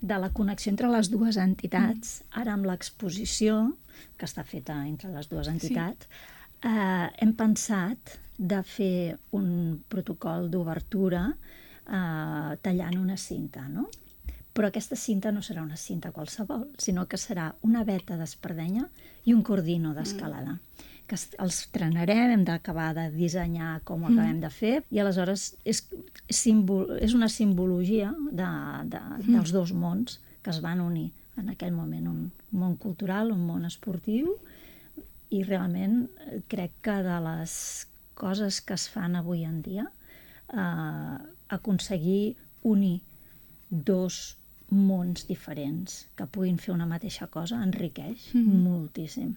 de la connexió entre les dues entitats. Ara amb l'exposició, que està feta entre les dues entitats, hem pensat de fer un protocol d'obertura tallant una cinta, no? Però aquesta cinta no serà una cinta qualsevol, sinó que serà una veta d'espardenya i un cordino d'escalada. Que els trenarem, hem d'acabar de dissenyar com ho acabem de fer, i aleshores és una simbologia dels dos mons que es van unir en aquell moment, un món cultural, un món esportiu, i realment crec que de les coses que es fan avui en dia, aconseguir unir dos mons diferents que puguin fer una mateixa cosa enriqueix moltíssim.